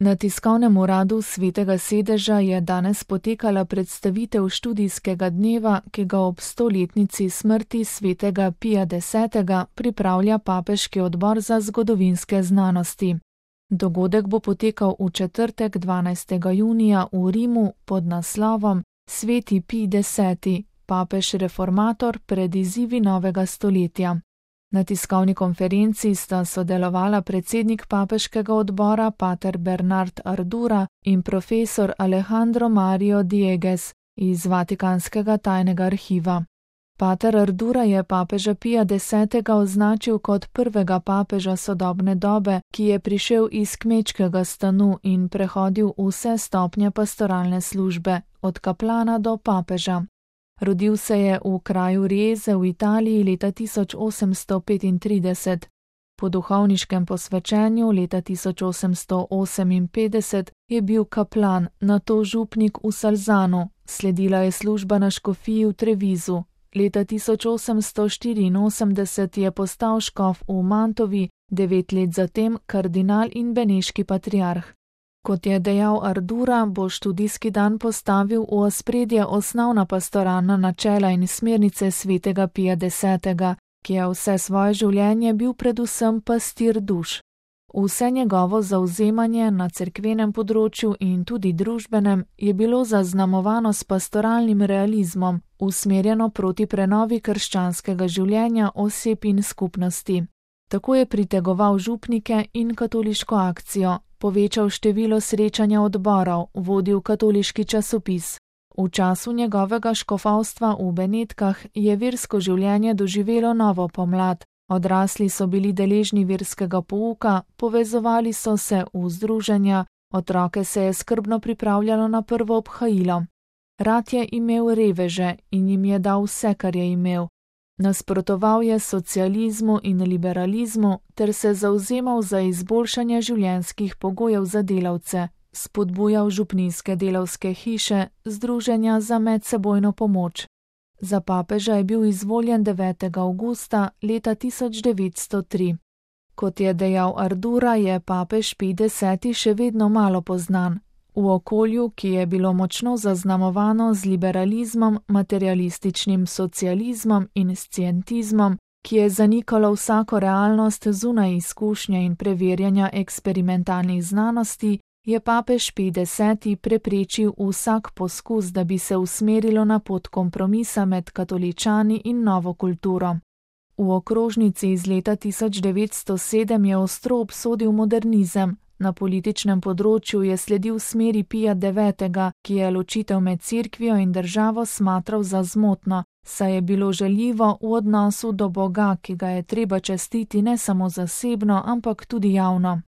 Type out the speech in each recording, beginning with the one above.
Na tiskovnem uradu Svetega sedeža je danes potekala predstavitev študijskega dneva, ki ga ob 100-letnici smrti svetega Pija X. pripravlja Papeški odbor za zgodovinske znanosti. Dogodek bo potekal v četrtek 12. junija v Rimu pod naslovom Sveti Pij X. Papež reformator pred izzivi novega stoletja. Na tiskovni konferenci sta sodelovala predsednik papeškega odbora pater Bernard Ardura in profesor Alejandro Mario Diegues iz Vatikanskega tajnega arhiva. Pater Ardura je papeža Pija X. označil kot prvega papeža sodobne dobe, ki je prišel iz kmečkega stanu in prehodil vse stopnje pastoralne službe, od kaplana do papeža. Rodil se je v kraju Rieze v Italiji leta 1835. Po duhovniškem posvečenju leta 1858 je bil kaplan, nato župnik v Salzanu, sledila je služba na škofiji v Trevizu. Leta 1884 je postal škof v Mantovi, 9 let zatem kardinal in beneški patriarh. Kot je dejal Ardura, bo študijski dan postavil v ospredje osnovna pastoralna načela in smernice svetega Pija X., ki je vse svoje življenje bil predvsem pastir duš. Vse njegovo zavzemanje na cerkvenem področju in tudi družbenem je bilo zaznamovano s pastoralnim realizmom, usmerjeno proti prenovi krščanskega življenja oseb in skupnosti. Tako je pritegoval župnike in katoliško akcijo, povečal število srečanja odborov, vodil katoliški časopis. V času njegovega škofovstva v Benetkah je versko življenje doživelo novo pomlad. Odrasli so bili deležni verskega pouka, povezovali so se v združenja, otroke se je skrbno pripravljalo na prvo obhajilo. Rad je imel reveže in jim je dal vse, kar je imel. Nasprotoval je socializmu in liberalizmu ter se zavzemal za izboljšanje življenjskih pogojev za delavce, spodbujal župnijske delavske hiše, združenja za medsebojno pomoč. Za papeža je bil izvoljen 9. avgusta leta 1903. Kot je dejal Ardura, je papež Pij X. še vedno malo poznan. V okolju, ki je bilo močno zaznamovano z liberalizmom, materialističnim socializmom in scientizmom, ki je zanikalo vsako realnost zunaj izkušnje in preverjanja eksperimentalnih znanosti, je papež Pij X. preprečil vsak poskus, da bi se usmerilo na pot kompromisa med katoličani in novo kulturo. V okrožnici iz leta 1907 je ostro obsodil modernizem. Na političnem področju je sledil smeri Pija IX., ki je ločitev med cerkvijo in državo smatral za zmotno, saj je bilo žaljivo v odnosu do Boga, ki ga je treba častiti ne samo zasebno, ampak tudi javno.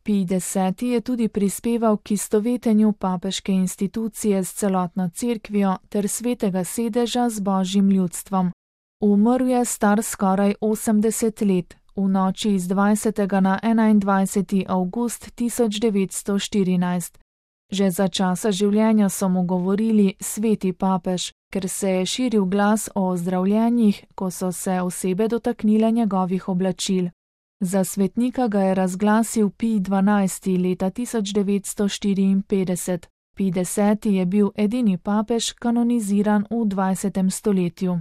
Pij X. je tudi prispeval k istovetenju papeške institucije s celotno cerkvijo ter Svetega sedeža z božjim ljudstvom. Umrl je star skoraj 80 let. V noči iz 20. na 21. avgust 1914. Že za časa življenja so mu govorili sveti papež, ker se je širil glas o ozdravljenjih, ko so se osebe dotaknile njegovih oblačil. Za svetnika ga je razglasil Pij XII. Leta 1954. Pij X. je bil edini papež kanoniziran v 20. stoletju.